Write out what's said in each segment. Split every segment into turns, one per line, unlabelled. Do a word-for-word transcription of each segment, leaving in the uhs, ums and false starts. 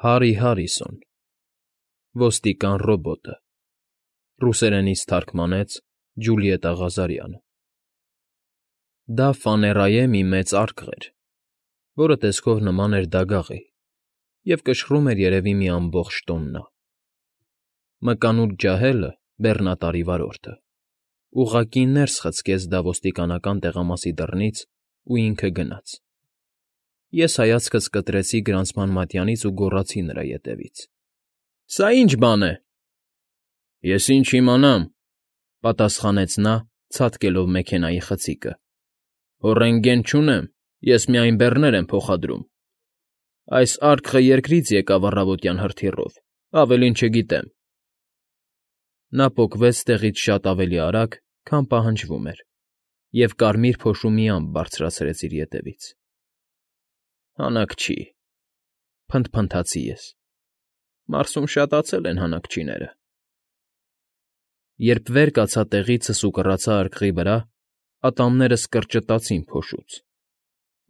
Հարի Հարիսոն, ոստիկան ռոբոտը, ռուսերենից թարգմանեց Ջուլիետտա Ղազարյանը։ Դա Ֆաներայե մի մեծ արկղ էր, որը տեսքով նման էր դագաղի և կշռում էր երևի մի ամբողջ տոննա։ Մկանուտ ջահելը, բեռնատարի վարորդը, ուղղակի ներս խցկեց դա ոստիկանական տեղամասի դռնից ու ինքը գնաց։ Ես հայացքս կտրեցի գրանցման մատյանից ու գոռացի նրա ետևից. ֊ Սա ի՞նչ բան է։ ֊ Ես ինչ իմանամ,֊ պատասխանեց նա, ցատկելով մեքենայի խցիկը։ ֊ Ռենտգեն չունեմ, ես միայն բեռներ եմ փոխադրում։ Այս արկղը երկրից եկավ առավոտյան հրթիռով, ավելին չգիտեմ։ Նա պոկվեց տեղից շատ ավելի արագ, քան պահանջվում էր, և կարմիր փոշու մի ամպ բարձրացրեց իր ետևից։ Հանաքչի, փնթփնթացի ես, Մարսում շատացել են հանաքչիները։ Երբ վեր կացա տեղիցս ու կռացա արկղի վրա, ատամներս կրճտացին փոշուց։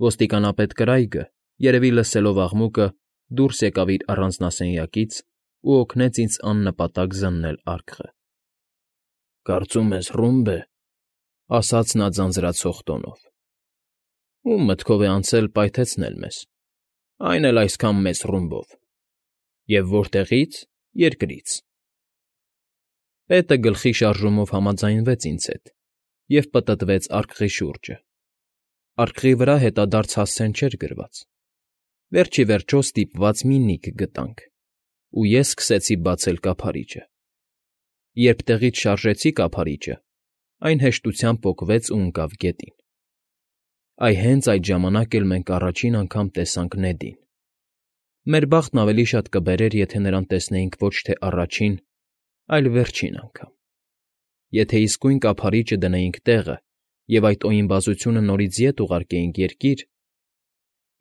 Ոստիկանապետ Կրայգը, երևի լսելով աղմուկը, դուրս եկավ իր առանձնասենյակից ու օգնեց ինձ աննպատակ զննել արկղը։ ֊ Կարծում ես ռումբ է,֊ ասաց նա ձանձրացող տոնով։ ֊ Ում մտքով է անցել պայթեցնել մեզ, այն էլ այսքան մեծ ռումբով։ Եվ որտեղի՞ց։ Երկրից։ Պետը գլխի շարժումով համաձայնվեց ինձ հետ և պտտվեց արկղի շուրջը։ Արկղի վրա հետադարձ հասցեն չէր գրված։ Վերջ ի վերջո ստիպված մի նիք գտանք, ու ես սկսեցի բացել կափարիչը։ Երբ տեղից շարժեցի կափարիչը, այն հեշտությամբ պոկվեց ու ընկավ գետին։ Այ հենց այդ ժամանակ էլ մենք առաջին անգամ տեսանք Նեդին։ Մեր բախտն ավելի շատ կբերեր, եթե նրան տեսնեինք ոչ թե առաջին, այլ վերջին անգամ։ Եթե իսկույն կափարիչը դնեինք տեղը և այդ օյնբազությունը նորից ետ ուղարկեինք երկիր…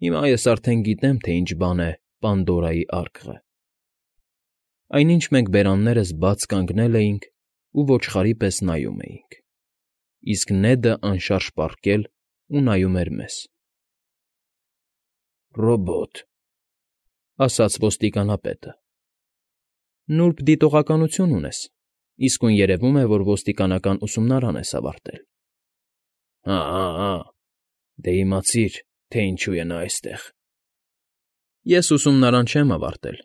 Հիմա ես արդեն գիտեմ, թե ինչ բան է Պանդորայի արկղը։ Այնինչ մենք բերաններս բաց կանգնել էինք ու ոչխարի պես նայում էինք, իսկ Նեդը անշարժ պառկել ու նայում էր մեզ։ ֊ Ռոբոտ,֊ ասաց ոստիկանապետը։ ֊ Նուրբ դիտողականություն ունես, իսկույն երևում է, որ ոստիկանական ուսումնարան ես ավարտել։ ֊ Հա՛֊հա՛֊հա՛, դե իմացիր, թե ինչու է նա այստեղ։ ֊ Ես ուսումնարան չեմ ավարտել,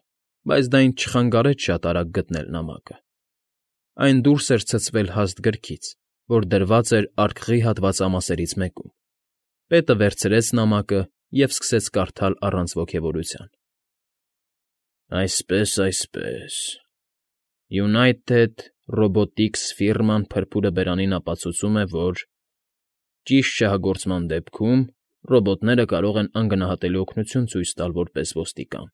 բայց դա ինձ չխանգարեց շատ արագ գտնել նամակը։ Այն դուրս էր ցցվել հաստ գրքից, որ դրված էր արկղի հատվածամասերից մեկում։ Պետը վերցրեց նամակը և սկսեց կարդալ առանց ոգևորության. Այսպես, այսպես… United Robotics ֆիրման փրփուրը բերանին ապացուցում է, որ… Ճիշտ շահագործման դեպքում ռոբոտները կարող են անգնահատելի օգնություն ցույց տալ որպես ոստիկան։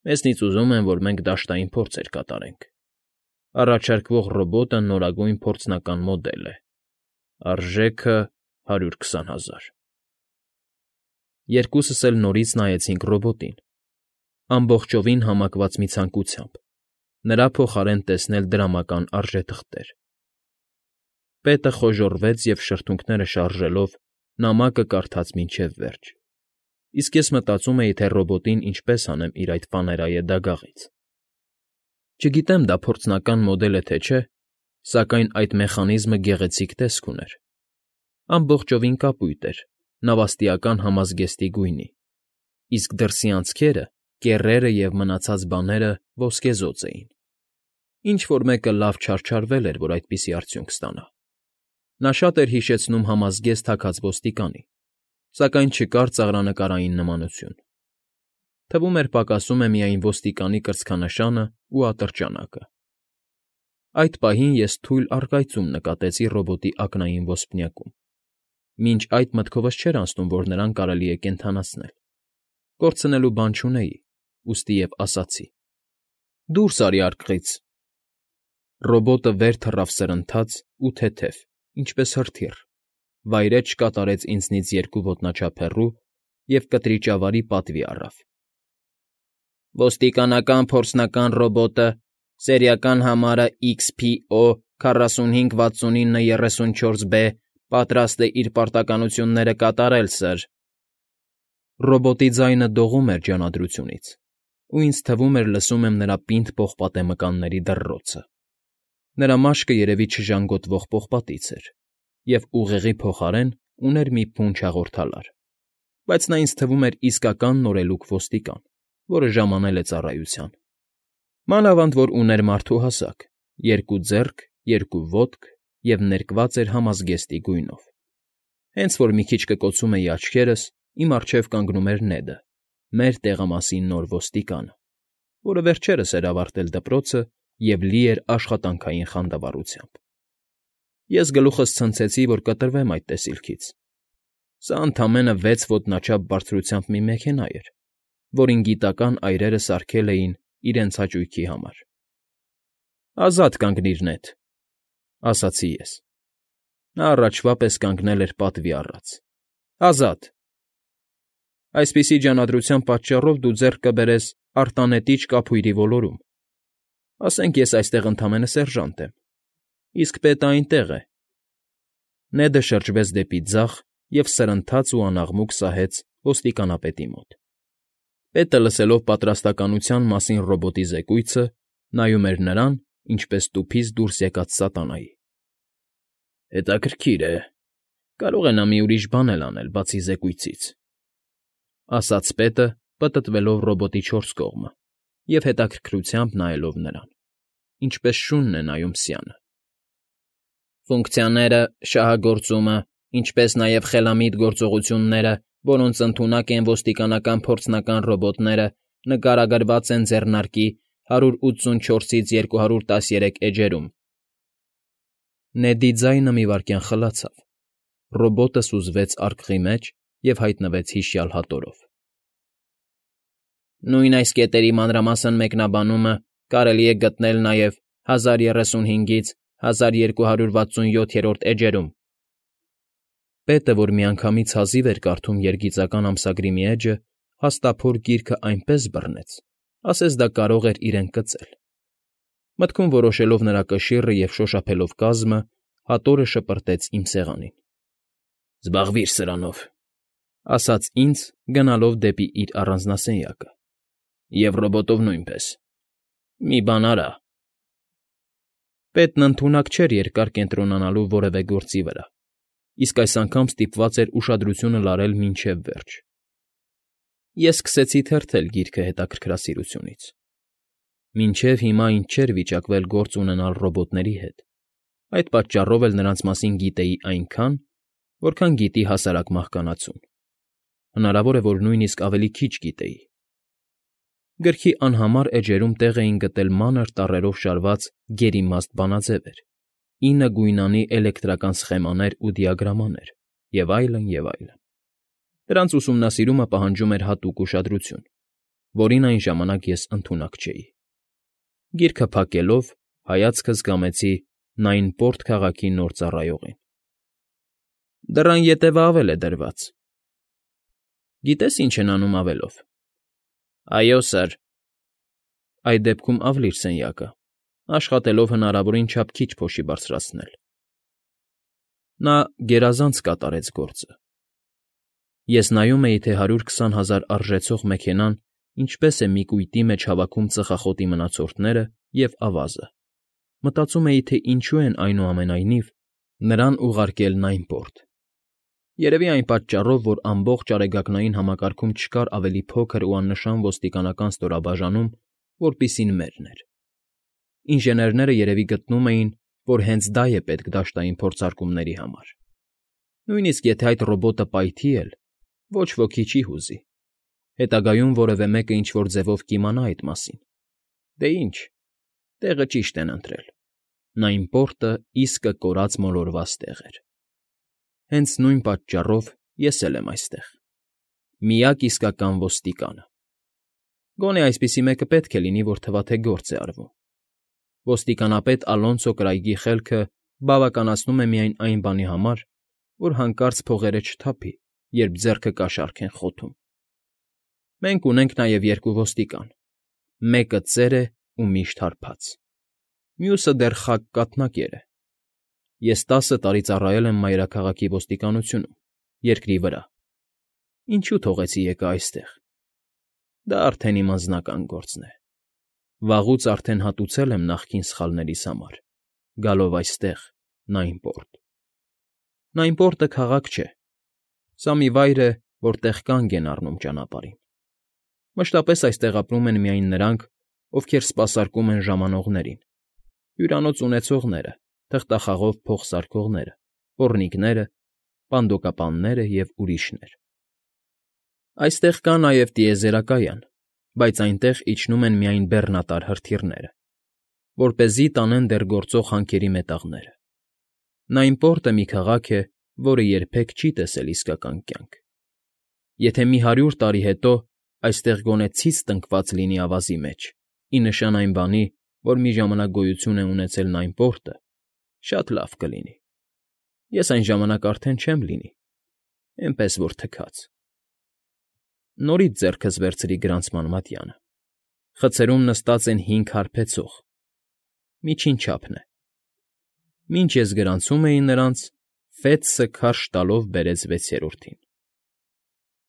Մեզնից ուզում են, որ մենք դաշտային փորձեր կատարենք։ Առաջարկվող ռոբոտը նորագույն փորձնական մոդել է։ Արժեքը հարյուր քսան հազար։ Երկուսս էլ նորից նայեցինք ռոբոտին, ամբողջովին համակված մի ցանկությամբ՝ նրա փոխարեն տեսնել դրամական արժեթղթեր։ Պետը խոժոռվեց և շրթունքները շարժելով նամակը կարդաց մինչև վերջ, իսկ ես մտածում էի, թե ռոբոտին ինչպես հանեմ իր այդ Ֆաներայե դագաղից։ Չգիտեմ դա փորձնական մոդել է, թե չէ, սակայն այդ մեխանիզմը գեղեցիկ տեսք ուներ։ Ամբողջովին կապույտ էր, նավաստիական համազգեստի գույնի, իսկ դրսի անցքերը, կեռերը և մնացած բաները ոսկեզօծ էին։ Ինչ֊որ մեկը լավ չարչարվել էր, որ այդպիսի արդյունք ստանա։ Նա շատ էր հիշեցնում համազգեստ թաքած ոստիկանի, սակայն չկար ծաղրանկարային նմանություն։ Թվում էր պակասում է միայն ոստիկանի կրծքանշանն ու ատրճանակը։ Այդ պահին ես թույլ առկայծում նկատեցի ռոբոտի ակնային ոսպնյակում։ Մինչ այդ մտքովս չէր անցնում, որ նրան կարելի է կենդանացնել։ Կորցնելու բան չունեի, ուստի և ասացի. «Դուրս արի արկղից»։ Ռոբոտը վեր թռավ սրընթաց ու թեթև, ինչպես հրթիռ, վայրէջք կատարեց ինձնից երկու ոտնաչափ հեռու և կտրիճավարի պատվի առավ. «Ոստիկանական փորձնական ռոբոտը, սերիական համարը X P O քառասունհինգ վաթսունինը երեսունչորս B, պատրաստ է իր պարտականությունները կատարել, սըր»։ Ռոբոտի ձայնը դողում էր ջանադրությունից, ու ինձ թվում էր լսում եմ նրա պինդ պողպատե մկանների դռռոցը։ Նրա մաշկը երևի չժանգոտվող պողպատից էր և ուղեղի փոխարեն ուներ մի փունջ հաղորդալար, բայց նա ինձ թվում էր իսկական նորելուկ ոստիկան, որը ժամանել է ծառայության։ Մանավանդ որ ուներ մարդու հասակ՝ երկու ձեռք, երկու ոտք և ներկված էր համազգեստի գույնով։ Հենց որ մի քիչ կկոցում էի աչքերս, իմ առջև կանգնում էր Նեդը, մեր տեղամասի նոր ոստիկանը, որը վերջերս էր ավարտել դպրոցը և լի էր աշխատանքային խանդավառությամբ։ Ես գլուխս ցնցեցի, որ կտրվեմ այդ տեսիլքից։ Սա ընդամենը վեց ոտնաչափ բարձրությամբ մի մեքենա էր, որին գիտական այրերը սարքել էին իրենց հաճույքի համար։ ֊ Ազատ կանգնիր, Նեդ,֊ ասացի ես։ Նա առաջվա պես կանգնել էր պատվի առած։ ֊ Ազատ… Այսպիսի ջանադրության պատճառով դու ձեռք կբերես արտանետիչ կափույրի ոլորում։ Ասենք ես այստեղ ընդամենը սերժանտ եմ, իսկ պետը այնտեղ է… Նեդը շրջվեց դեպի ձախ և սրընթաց ու անաղմուկ սահեց ոստիկանապետի մոտ։ Պետը, լսելով պատրաստակամության մասին ռոբոտի զեկույցը, նայում էր նրան, ինչպես տուփից դուրս եկած սատանայի։ ֊ Հետաքրքիր է, կարող է նա մի ուրիշ բան էլ անել, բացի զեկույցից,֊ ասաց պետը, պտտվելով ռոբոտի չորս կողմը և հետաքրքրությամբ նայելով նրան, ինչպես շունն է նայում սյանը։ ֊ Ֆունկցիաները, շահագործումը, ինչպես նաև խելամիտ գործողությունները, որոնց ընդունակ են ոստիկանական փորձնական ռոբոտները, նկարագրված են ձեռնարկի հարյուր ութսունչորսից երկու հարյուր տասներեք էջերում… Նեդի ձայնը մի վայրկյան խլացավ, ռոբոտը սուզվեց արկղի մեջ և հայտնվեց հիշյալ հատորով։ Նույն այս կետերի մանրամասն մեկնաբանումը կարելի է գտնել նաև հազար երեսունհինգից հազար երկու հարյուր վաթսունյոթերորդ էջերում… Պետը, որ միանգամից հազիվ էր կարդում երգիծական ամսագրի մի էջը, հաստափոր գիրքը այնպես բռնեց, ասես դա կարող էր իրեն կծել։ Մտքում որոշելով նրա կշիռը և շոշափելով կազմը, հատորը շպրտեց իմ սեղանին։ ֊ Զբաղվիր սրանով,֊ ասաց ինձ, գնալով դեպի իր առանձնասենյակը,֊ և ռոբոտով նույնպես… Մի բան արա… Պետն ընդունակ չէր երկար կենտրոնանալու որևէ գործի վրա, իսկ այս անգամ ստիպված էր ուշադրությունը լարել մինչև վերջ։ Ես սկսեցի թերթել գիրքը հետաքրքրասիրությունից։ Մինչև հիմա ինձ չէր վիճակվել գործ ունենալ ռոբոտների հետ, այդ պատճառով էլ նրանց մասին գիտեի այնքան, որքան գիտի հասարակ մահկանացուն, հնարավոր է, որ նույնիսկ ավելի քիչ գիտեի։ Գրքի անհամար էջերում տեղ էին գտել մանր տառերով շարված գերիմաստ բանաձևեր, ինը գույնանի էլեկտրական սխեմաներ ու դիագրամաներ և այլն, և այլն։ Դրանց ուսումնասիրումը պահանջում էր հատուկ ուշադրություն, որին այն ժամանակ ես ընդունակ չէի։ Գիրքը փակելով, հայացքս կամեցի Նայնպորտ քաղաքի նոր ծառայողին։ ֊ Դռան ետևը ավել է դրված։ ֊ Գիտե՞ս ինչ են անում ավելով։ ֊ Այո, սըր։ ֊ Այդ դեպքում ավլիր սենյակը, աշխատելով հնարավորին չափ քիչ փոշի բարձրացնել։ Նա գերազանց կատարեց գործը։ Ես նայում էի, թե հարյուր քսան հազար արժեցող մեքենան ինչպես է մի կույտի մեջ հավաքում ծխախոտի մնացորդները և ավազը, մտածում էի, թե ինչու են, այնուամենայնիվ, նրան ուղարկել Նայնպորտ։ Երևի այն պատճառով, որ ամբողջ Արեգակնային համակարգում չկար ավելի փոքր ու աննշան ոստիկանական ստորաբաժանում, որպիսին մերն էր։ Ինժեներները երևի գտնում էին, որ հենց դա է պետք դաշտային փորձարկումների համար։ Նույնիսկ եթե այդ ռոբոտը պայթի էլ, ոչ ոքի չի հուզի, հետագայում որևէ մեկը ինչ֊որ ձևով կիմանա այդ մասին։ Դե ինչ, տեղը ճիշտ են ընտրել, Նայնպորտը իսկը կորած մոլորված տեղ էր։ Հենց նույն պատճառով ես էլ եմ այստեղ, միակ իսկական ոստիկանը։ Գոնե այսպիսի մեկը պետք է լինի, որ թվա թե գործ է արվում։ Ոստիկանապետ Ալոնսո Կրայգի խելքը բավականացնում է միայն այն բանի համար, որ հանկարծ փողերը չթափի, երբ ձեռքը կաշառք են խոթում։ Մենք ունենք նաև երկու ոստիկան, մեկը ծեր է ու միշտ հարբած, մյուսը դեռ խակ կաթնակեր է։ Ես տասը տարի ծառայել եմ մայրաքաղաքի ոստիկանությունում, երկրի վրա, ինչու թողեցի եկա այստեղ։ Դա արդեն իմ անձնական գործն է։ Վաղուց արդեն հատուցել եմ նախկին սխալներիս համար, գալով այստեղ, Նայնպորտ։ Նայնպորտը քաղաք չէ։ Սա մի վայր է, որտեղ կանգ են առնում ճանապարհին։ Մշտապես այստեղ ապրում են միայն նրանք, ովքեր սպասարկում են ժամանողներին, հյուրանոց ունեցողները, թղթախաղով փող սարքողները, պոռնիկները, պանդոկապանները և ուրիշներ։ Այստեղ կա նաև տիեզերակայան, բայց այնտեղ իջնում են միայն բեռնատար հրթիռները, որպեսզի տանեն դեռ գործող հանքերի մետաղները։ Նայնպորտը մի քաղաք է, որը երբեք չի տեսել իսկական կյանք։ Եթե մի հարյուր տարի հետո այստեղ գոնե ցից տնկված լինի ավազի մեջ, ի նշան այն բանի, որ մի ժամանակ գոյություն է ունեցել Նայնպորտը, շատ լավ կլինի։ Ես այն ժամանակ արդեն չեմ լինի, էնպես որ թքած։ Նորից ձեռքս վերցրի գրանցման մատյանը։ Խցերում նստած են հինգ հարբեցող, միջին չափն է։ Մինչ ես գրանցում էի նրանց, Ֆեթսը քարշ տալով բերեց վեցերորդին։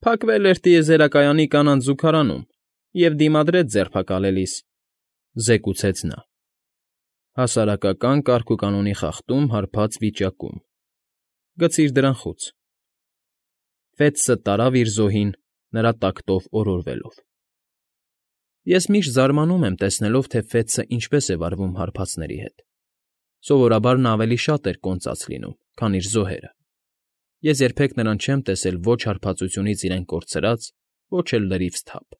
Փակվել էր տիեզերակայանի կանանց զուգարանում և դիմադրեց ձերբակալելիս, զեկուցեց նա։ Հասարակական կարգուկանոնի խախտում հարբած վիճակում։ Գցիր դրան խուց։ Ֆեթսը տարավ իր զոհին, նրա տակտով օրորվելով։ Ես միշտ զարմանում եմ, տեսնելով, թե Ֆեթսը ինչպես է վարվում հարբածների հետ։ Սովորաբար նա ավելի շատ էր կոնծած լինում, քան իր զոհերը։ Ես երբեք նրան չեմ տեսել ոչ հարբածությունից իրեն կորցրած, ոչ էլ լրիվ սթափ։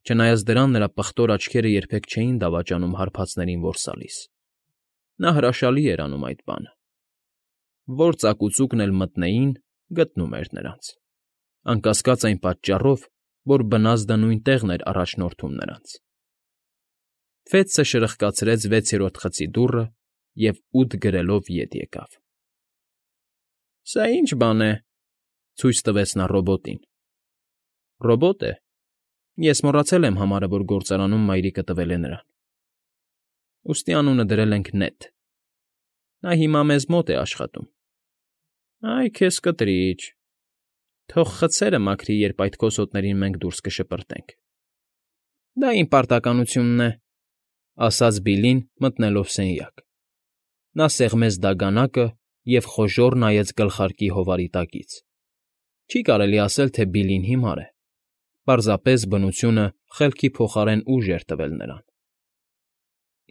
Չնայած դրան, նրա պղտոր աչքերը երբեք չէին դավաճանում հարբածներին որսալիս։ Նա հրաշալի էր անում այդ բանը։ Որ ծակուծուկն էլ մտնեին, գտնում էր նրանց։ Անկասկած այն պատճառով, որ բնազդը նույն տեղն էր առաջնորդում նրանց։ Ֆեթսը շրխկացրեց վեցերորդ խցի դուռը և ութ գրելով ետ եկավ։ Սա ի՞նչ բան է,֊ ցույց տվեց նա ռոբոտին։ Ռոբոտ է։ Ես մոռացել եմ համարը, որ գործարանում մայրիկը տվել է նրան։ Ուստի անունը դրել ենք Նեթ։ Նա հիմա մեզ մոտ է աշխատում։ Այ քեզ կտրիչ։ Թող խցերը մաքրի, երբ այդ քոսոտներին մենք դուրս կշպրտենք։ Դա իմ պարտականությունն է,֊ ասաց Բիլլին, մտնելով սենյակ։ Նա սեղմեց դագանակը և խոժոռ նայեց գլխարկի հովարի տակից։ Չի կարելի ասել, թե Բիլլին հիմար է։ Պարզապես բնությունը խելքի փոխարեն ուժ էր տվել նրան։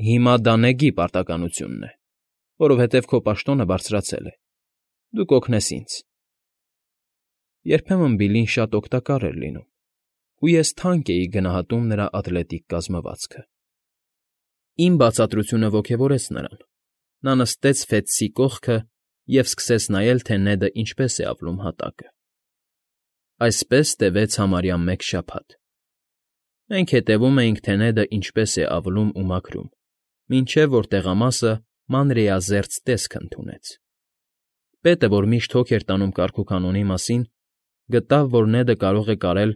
Հիմա դա Նեգի պարտականությունն է, որովհետև քո պաշտոնը բարձրացել է։ Դու կօգնես ինձ։ Երբեմն Բիլլին շատ օգտակար էր լինում, ու ես թանկ էի գնահատում նրա ատլետիկ կազմվածքը։ Իմ բացատրությունը ոգևորեց նրան։ Նա նստեց Ֆեթսի կողքը և սկսեց նայել, թե Նեդը ինչպես է ավլում հատակը։ Այսպես տևեց համարյա մեկ շաբաթ։ Մենք հետևում էինք, թե Նեդը ինչպես է ավլում ու մաքրում, մինչև որ տեղամասը մանրէազերծ տեսք ընդունեց։ Պետը, որ միշտ հոգ էր տանում կարգուկանոնի մասին, գտավ, որ Նեդը կարող է կարել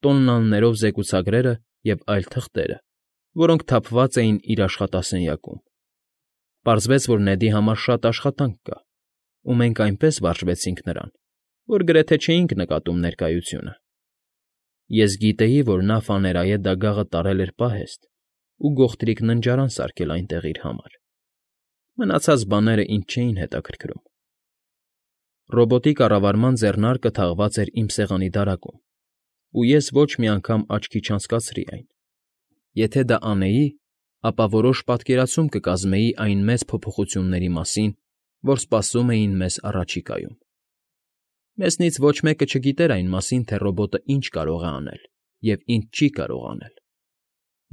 տոննաներով զեկուցագրերը և այլ թղթերը, որոնք թափված էին իր աշխատասենյակում։ Պարզվեց, որ Նեդի համար շատ աշխատանք կա, ու մենք այնպես վարժվեցինք նրան, որ գրեթե չէինք նկատում ներկայությունը։ Ես գիտեի, որ նա ֆաներայե դագաղը տարել էր պահեստ ու գողտրիկ ննջարան սարքել այնտեղ իր համար։ Մնացած բաները ինձ չէին հետաքրքրում։ Ռոբոտի կառավարման ձեռնարկը թաղված էր իմ սեղանի դարակում, ու ես ոչ մի անգամ աչքի չանցկացրի այն։ Եթե դա անեի, ապա որոշ պատկերացում կկազմեի այն մեծ փոփոխությունների մասին, որ սպասում էին մեզ առաջիկայում։ Մեզնից ոչ մեկը չգիտեր այն մասին, թե ռոբոտը ինչ կարող է անել և ինչ չի կարող անել։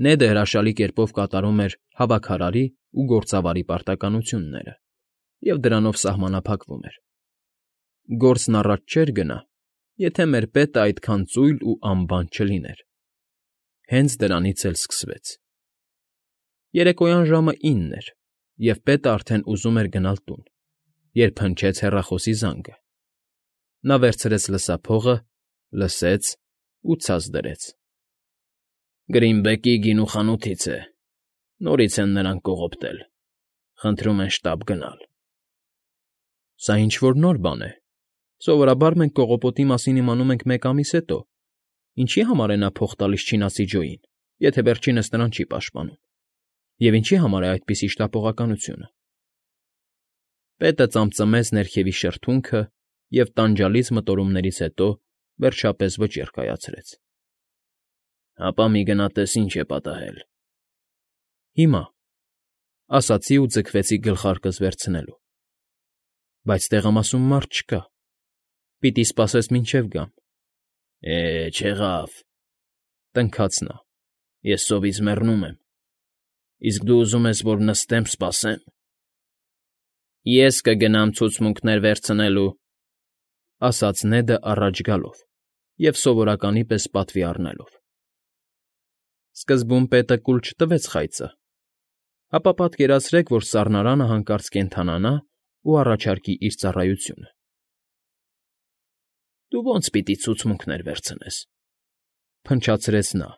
Նեդը հրաշալի կերպով կատարում էր հավաքարարի ու գործավարի պարտականությունները և դրանով սահմանափակվում էր։ Գործն առաջ չէր գնա, եթե մեր պետը այդքան ծույլ ու անբան չլիներ։ Հենց դրանից էլ սկսվեց։ Երեկոյան ժամը ինն էր, և պետը արդեն ուզում էր գնալ տուն, երբ հնչեց հեռախոսի զանգը։ Նա վերցրեց լսափողը, լսեց ու ցած դրեց։ Գրինբեկի գինու խանութից է, նորից են նրան կողոպտել, խնդրում են շտապ գնալ։ Սա ինչ֊որ նոր բան է։ Սովորաբար մենք կողոպոտի մասին իմանում ենք մեկ ամիս հետո, ինչի համար է նա փող տալիս չինացի Ջոյին, եթե վերջինս նրան չի պաշտպանում, և ինչի համար է այդպիսի շտապողականությունը։ Պետը ծամծմեց ներքևի շրթունքը և տանջալից մտորումներից հետո վերջապես վճիռ կայացրեց։ ֊ Հապա մի գնա տես ինչ է պատահել։ ֊ Հիմա, ֊ ասացի ու ձգվեցի գլխարկս վերցնելու։ ֊ Բայց տեղամասում մարդ չկա, պիտի սպասես մինչև գամ։ ֊ Է, չեղավ,֊ տնքաց նա,֊ ես սովից մեռնում եմ, իսկ դու ուզում ես, որ նստեմ, սպասեմ։ ֊ Ես կգնամ ցուցմունքներ վերցնելու,֊ ասաց Նեդը առաջ գալով և սովորականի պես պատվի առնելով։ Սկզբում պետը կուլ չտվեց խայծը, ապա պատկերացրեք, որ սառնարանը հանկարծ կենդանանա ու առաջարկի իր ծառայությունը։ ֊ Դու ո՞նց պիտի ցուցմունքներ վերցնես,֊ փնչացրեց նա,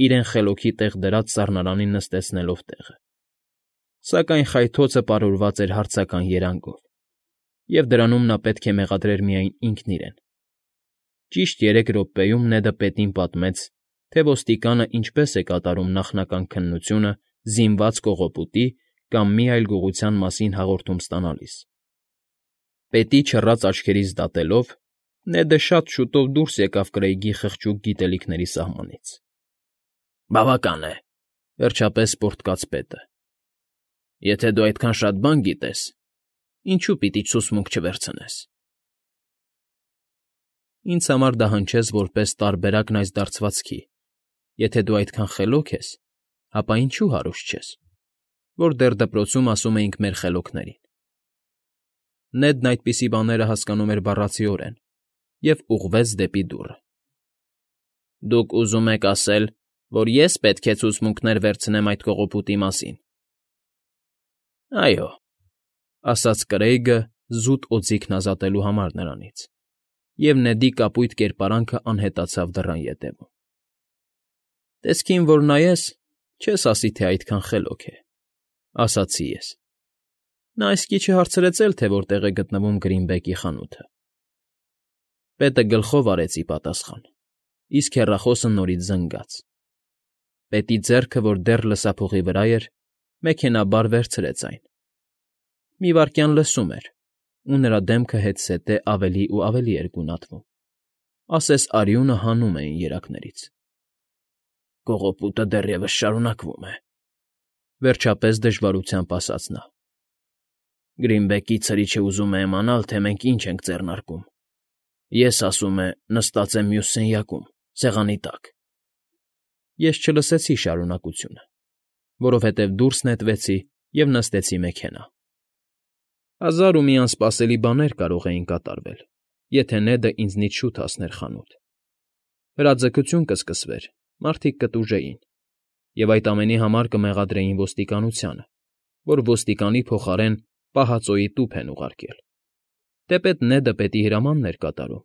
իրեն խելոքի տեղ դրած սառնարանին նստեցնելով տեղը, սակայն խայթոցը պարուրված էր հարցական երանգով, և դրանում նա պետք է մեղադրեր միայն ինքն իրեն։ Ճիշտ երեք րոպեում Նեդը պետին պատմեց, թե ոստիկանը ինչպես է կատարում նախնական քննությունը զինված կողոպուտի կամ մի այլ գողության մասին հաղորդում ստանալիս։ Պետի չռած աչքերից դատելով՝ Նեդը շատ շուտով դուրս եկավ Կրեյգի խղճուկ գիտելիքների սահմանից։ ֊ Բավական է,֊ վերջապես պոռթկաց պետը։ Եթե դու այդքան շատ բան գիտես, ինչո՞ւ պիտի ցուցմունք չվերցնես։ ֊ Ինձ համար դա հնչեց որպես տարբերակն այս դարձվածքի. եթե դու այդքան խելոք ես, ապա ինչու հարուստ չես, որ դեռ դպրոցում ասում էինք մեր խելոքներին։ Նեդն այդպիսի բաները հասկանում էր բառացիորեն և ուղղվեց դեպի դուռը։ ֊ Դուք ուզում եք ասել, որ ես պետք է ցուցմունքներ վերցնեմ այդ կողոպուտի մասին։ ֊ Այո,֊ ասաց Կրեյգը զուտ օձիքն ազատելու համար նրանից, և Նեդի կապույտ կերպարանքը անհետացավ դռան ետևում։ ֊ Տեսքին որ նայես, չես ասի, թե այդքան խելոք է,֊ ասացի ես։ Նա այսքիչը հարցրեց էլ, թե որտեղ է գտնվում Գրինբեկի խանութը։ Պետը գլխով արեց ի պատասխան, իսկ հեռախոսը նորից զնգաց։ Պետի ձեռքը, որ դեռ լսափողի վրա էր, մեքենայաբար վերցրեց այն։ Մի վայրկյան լսում էր, ու նրա դեմքը հետզհետե ավելի ու ավելի էր գունատվում, ասես արյունը հանում էին երակներից։ ֊ Կողոպուտը դեռևս շարունակվում է,֊ վերջապես դժվարությամբ ասաց նա։ Գրինբեկի ցրիչը ուզում է իմանալ, թե մենք ինչ ենք ձեռնարկում։ Ես, ասում է, նստած եմ մյուս սենյակում, սեղանի տակ։ Ես չլսեցի շարունակությունը, որովհետև դուրս նետվեցի և նստեցի մեքենա։ Հազար ու մի անսպասելի բաներ կարող էին կատարվել, եթե Նեդը ինձնից շուտ հասներ խանութ։ Հրաձգություն կսկսվեր, մարդիկ կտուժեին, և այդ ամենի համար կմեղադրեին ոստիկանությանը, որ ոստիկանի փոխարեն պահածոյի տուփ են ուղարկել։ Թեպետ Նեդը պետի հրամանն էր կատարում,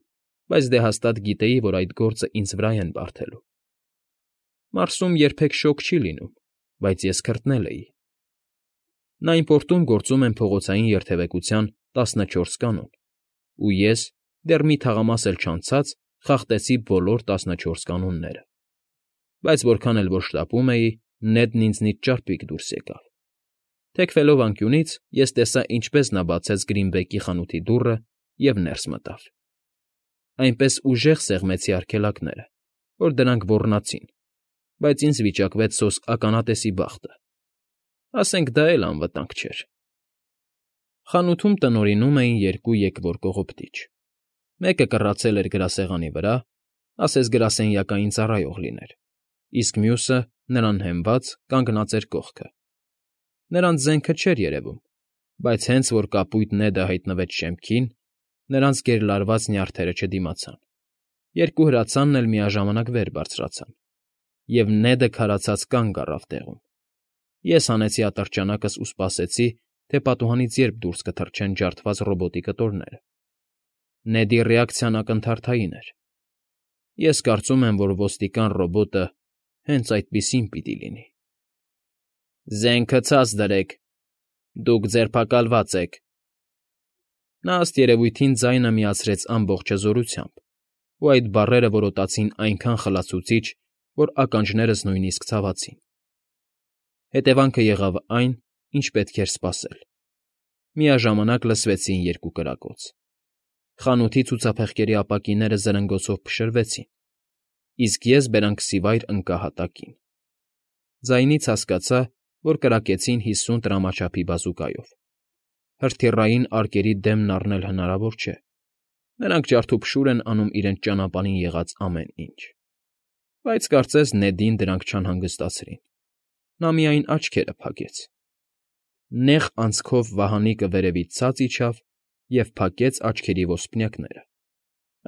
բայց դե հաստատ գիտեի, որ այդ գործը ինձ վրա են բարդելու։ Մարսում երբեք շոգ չի լինում, բայց ես քրտնել էի։ Նայնպորտում գործում են փողոցային երթևեկության տասնչորս կանոն, ու ես, դեռ մի թաղամաս էլ չանցած, խախտեցի բոլոր տասնչորս կանոնները։ Բայց որքան էլ որ շտապում էի, Նեդն ինձնից ճարպիկ դուրս եկավ։ Թեքվելով անկյունից, ես տեսա, ինչպես նա բացեց Գրինբեկի խանութի դուռը և ներս մտավ։ Այնպես ուժեղ սեղմեցի արգելակները, որ դրանք ոռնացին, բայց ինձ վիճակվեց սոսկ ականատեսի բախտը։ Ասենք դա էլ անվտանգ չէր։ Խանութում տնօրինում էին երկու եկվոր կողոպտիչ։ Մեկը կռացել էր գրասեղանի վրա, ասես գրասենյակային ծառայող լիներ, իսկ մյուսը, նրան հենված, կանգնած էր կողքը։ Նրանց զենքը չէր երևում, բայց հենց որ կապույտ Նեդը հայտնվեց շեմքին, նրանց գերլարված նյարդերը չդիմացան։ Երկու հրացանն էլ միաժամանակ վեր բարձրացան, և Նեդը քարացած կանգ առավ տեղում։ Ես հանեցի ատրճանակս ու սպասեցի, թե պատուհանից երբ դուրս կթռչեն ջարդված ռոբոտի կտորները։ Նեդի ռեակցիան ակնթարթային էր։ Ես կարծում եմ, որ ոստիկան ռոբոտը հենց այդպիսին պիտի լինի։ ֊ Զենքը ցած դրեք, դուք ձերբակալված եք,֊ նա ըստ երևույթին ձայնը միացրեց ամբողջ հզորությամբ, ու այդ բառերը որոտացին այնքան խլացուցիչ, որ ականջներս նույնիսկ ցավացին։ Հետևանքը եղավ այն, ինչ պետք էր սպասել. միաժամանակ լսվեցին երկու կրակոց։ Խանութի ցուցափեղկերի ապակիները զրնգոցով փշրվեցին, իսկ ես բերանքսի վայր ընկա հատակին։ Ձայնից հասկացա, որ կրակեցին հիսուն տրամաչափի բազուկայով։ Հրթիռային արկերի դեմն առնել հնարավոր չէ։ Նրանք ջարդուփշուր են անում իրենց ճանապարհին եղած ամեն ինչ։ Բայց կարծես Նեդին դրանք չանհանգստացրին։ Նա միայն աչքերը փակեց։ Նեղ անցքով վահանիկը վերևից ցած իջավ և փակեց աչքերի ոսպնյակները։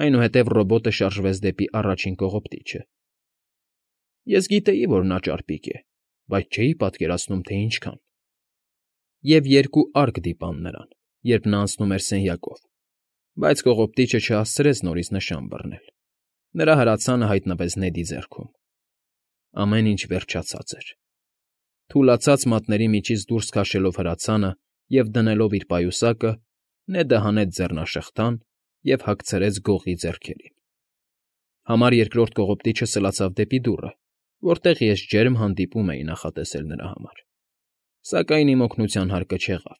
Այնուհետև ռոբոտը շարժվեց դեպի առաջին կողոպտիչը։ Ես գիտեի, որ նա ճարպիկ է, բայց չէի պատկերացնում, թե ինչքան։ Եվ երկու արկ դիպան նրան, երբ նա անցնում էր սենյակով, բայց կողոպտիչը չհասցրեց նորից նշան բռնել։ Նրա հրացանը հայտնվեց Նեդի ձեռքում։ Ամեն ինչ վերջացած էր։ Թուլացած մատների միջից դուրս քաշելով հրացանը և դնելով իր պայուսակը, Նեդը հանեց ձեռնաշղթան և հագցրեց գողի ձեռքերին։ Համար երկրորդ կողոպտիչը սլացավ դեպի դուռը, որտեղ ես ջերմ հանդիպում էի նախատեսել նրա համար։ Սակայն իմ օգնության հարկը չեղավ։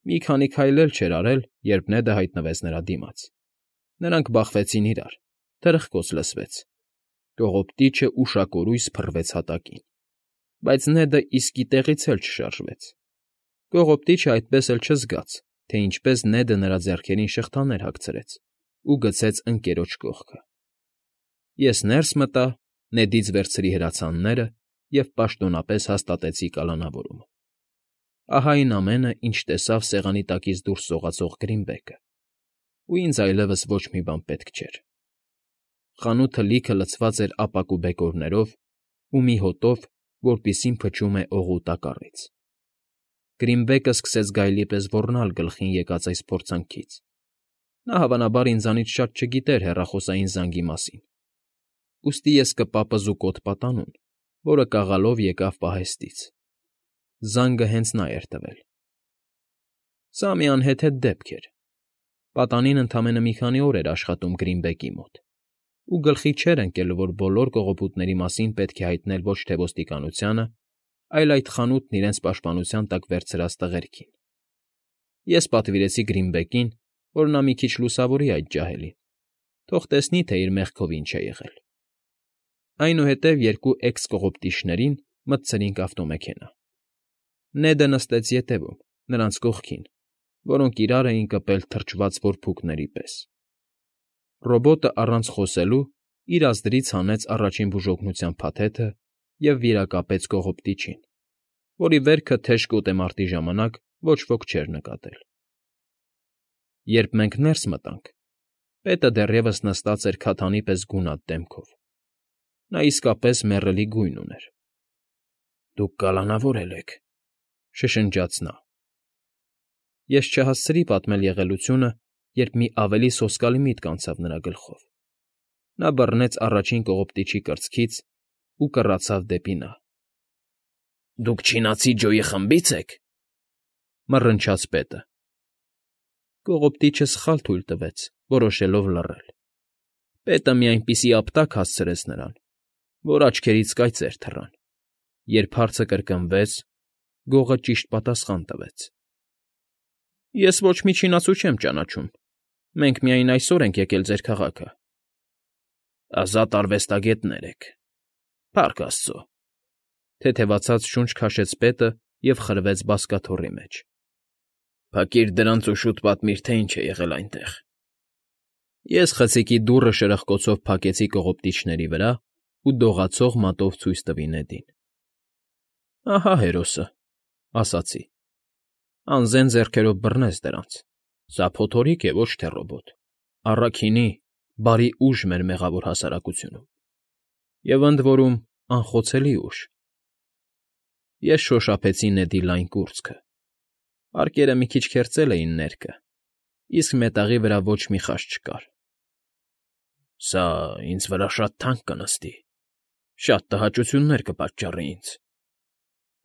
Մի քանի քայլ էլ չէր արել, երբ Նեդը հայտնվեց նրա դիմաց։ Նրանք բախվեցին իրար, թրխկոց լսվեց։ Կողոպտիչը ուշակորույս փռվեց հատակին։ Բայց Նեդը իսկի տեղից էլ չշարժվեց։ Կողոպտիչը այդպես էլ չզգաց, թե ինչպես Նեդը նրա ձեռքերին շղթաներ հագցրեց ու գցեց ընկերոջ կողքը։ Ես ներս մտա, Նեդից վերցրի հրացանները և պաշտոնապես հաստատեցի կալանավորումը։ Ահա այն ամենը, ինչ տեսավ սեղանի տակից դուրս սողացող Գրինբեգը, ու ինձ այլևս ոչ մի բան պետք չէր։ Խանութը լիքը լցված էր ապակու բեկորներով ու մի հոտով, որպիսին փչում է օղու տակառից։ Գրինբեգը սկսեց գայլի պես ոռնալ գլխին եկած այս փորձանքից։ Նա հավանաբար ինձանից շատ չգիտեր հեռախոսային զանգի մասին, ուստի ես կպապզուկոտ պատանուն, որը կաղալով եկավ պահեստից։ Զանգը հենց նա էր տվել։ Սա մի անհեթեթ դեպք էր։ Պատանին ընդամենը մի քանի օր էր աշխատում Գրինբեգի մոտ, ու գլխի չէր ընկել, որ բոլոր կողոպուտների մասին պետք է հայտնել ոչ թե ոստիկանությանը, այլ այդ խանութն իրենց պաշտպանության տակ վերցրած տղերքին։ Ես պատվիրեցի Գրինբեգին, որ նա մի քիչ լուսավորի այդ ջահելին, թող տեսնի, թե իր մեղքով ինչ է եղել։ Այնուհետև երկու էքս֊կողոպտիչներին մտցրինք ավտոմեքենա։ Նեդը նստեց ետևում, նրանց կողքին, որոնք իրար էին կպել թրջված որբուքների պես։ Ռոբոտը առանց խոսելու իր ազդրից հանեց առաջին բուժօգնության փաթեթը և վիրակապեց կողոպտիչին, որի վերքը թեժ կոտեմարտի ժամանակ ոչ ոք չէր նկատել։ Երբ մենք ներս մտանք, պետը դեռևս նստած էր քաթանի պես գունատ դեմքով։ Նա իսկապես մեռելի գույն ուներ։ ֊ Դուք կալանավորել եք,֊ շշնջաց նա։ Ես չհասցրի պատմել եղելությունը, երբ մի ավելի սոսկալի միտք անցավ նրա գլխով։ Նա բռնեց առաջին կողոպտիչի կրծքից ու կռացավ դեպի նա։ ֊ Դուք չինացի Ջոյի խմբի՞ց եք,֊ մռնչաց պետը։ Կողոպտիչը սխալ թույլ տվեց, որոշելով լռել։ Պետը մի այնպիսի ապտակ հասցրեց նրան, որ աչքերից կայծեր թռան։ Երբ հարցը կրկնվեց, գողը ճիշտ պատասխան տվեց. ֊ Ես ոչ մի չինացու չեմ ճանաչում, մենք միայն այսօր ենք եկել ձեր քաղաքը։ ֊ Ազատ արվեստագետներ եք, փառք աստծո,֊ թեթևացած շունչ քաշեց պետը և խրվեց բազկաթոռի մեջ։ ֊ Փակիր դրանց ու շուտ պատմիր, թե ինչ է եղել այնտեղ։ Ես խցիկի դուռը շրխկոցով փակեցի կողոպտիչների վրա ու դողացող մատով ցույց տվի Նեդին։ ֊ Ահա հերոսը,֊ ասացի։ Անզեն ձեռքերով բռնեց դրանց։ Սա փոթորիկ է, ոչ թե ռոբոտ, առաքինի, բարի ուժ մեր մեղավոր հասարակությունում։ Եվ ընդ որում անխոցելի ուժ։ Ես շոշափեցի Նեդի լայն կուրծքը։ Արկերը մի քիչ քերծել էին ներքը, իսկ մետաղի վրա ոչ մի խաչ չկար։ ֊ Սա ինձ վրա շատ թանկ կնստի, շատ տհաճություններ կպատճառի ինձ,֊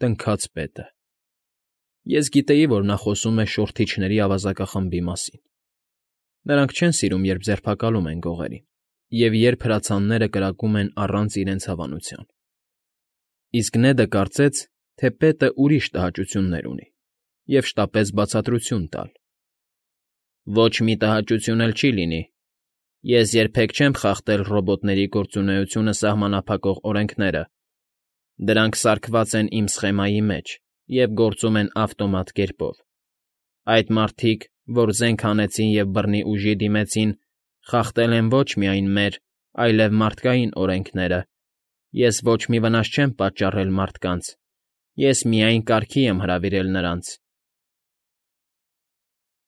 տնքաց պետը։ Ես գիտեի, որ նա խոսում է շորթիչների ավազակախմբի մասին։ Նրանք չեն սիրում, երբ ձերբակալում են գողերին, և երբ հրացանները կրակում են առանց իրենց հավանության։ Իսկ Նեդը կարծեց, թե պետը ուրիշ տհաճություններ ունի, և շտապեց բացատրություն տալ. Ոչ մի տհաճություն էլ չի լինի։ Ես երբեք չեմ խախտել ռոբոտների գործունեությունը սահմանափակող օրենքները. դրանք սարքված են իմ սխեմայի մեջ և գործում են ավտոմատ կերպով։ Այդ մարդիկ, որ զենք հանեցին և բռնի ուժի դիմեցին, խախտել են ոչ միայն մեր, այլև մարդկային օրենքները։ Ես ոչ մի վնաս չեմ պատճառել մարդկանց, ես միայն կարգի եմ հրավիրել նրանց,